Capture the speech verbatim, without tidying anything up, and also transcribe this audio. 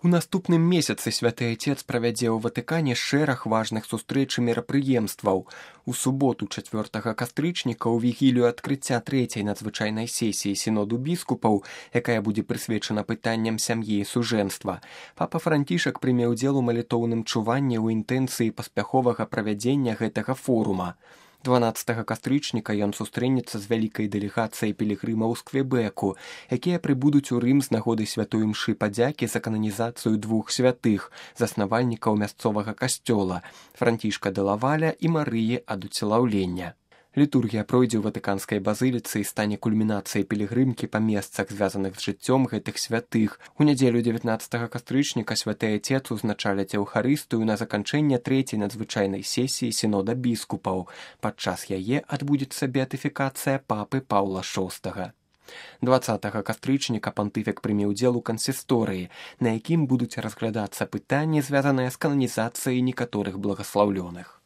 У наступным месяцы святы Отец правядзе ў Ватыкане шэраг важных сустрэч і мерапрыемстваў. У суботу чацвёртага кастрычніка ў вігілію адкрыцця трэцяй надзвычайнай сесіі сіноду біскупаў, якая будзе прысвечана пытанням сям'і і сужэнства, папа Францішак прыме ўдзел у малітоўным чуванні ў інтэнцыі паспяховага правядзення гэтага форума. дванаццатага кастрычніка ён сустрэнецца з вялікай дэлегацыяй пілігрымаў з Квебеку, якія прыбудуць у Рым з нагоды святой імшы падзякі за кананізацыю двух святых, заснавальнікаў мясцовага касцёла – Францішка де Лаваля і Марыі ад уцелаўлення. Літургія пройдзе ў Ватыканскай базыліцы і стане кульмінацыяй пілігрымкі па месцах, звязаных з жыццём гэтых святых. У нядзелю дзевятнаццатага кастрычніка святы Отец узначаляць Еўхарыстыю на заканчэнне трэцяй надзвычайнай сесіі сінода біскупаў. Падчас яе адбудзецца беатыфікацыя папы Паўла шостага. дваццатага кастрычніка пантыфік прыме ўдзел у кансісторыі, на якім будуць разглядацца пытанні, звязаныя з кананізацыяй некаторых благаслаўлёных.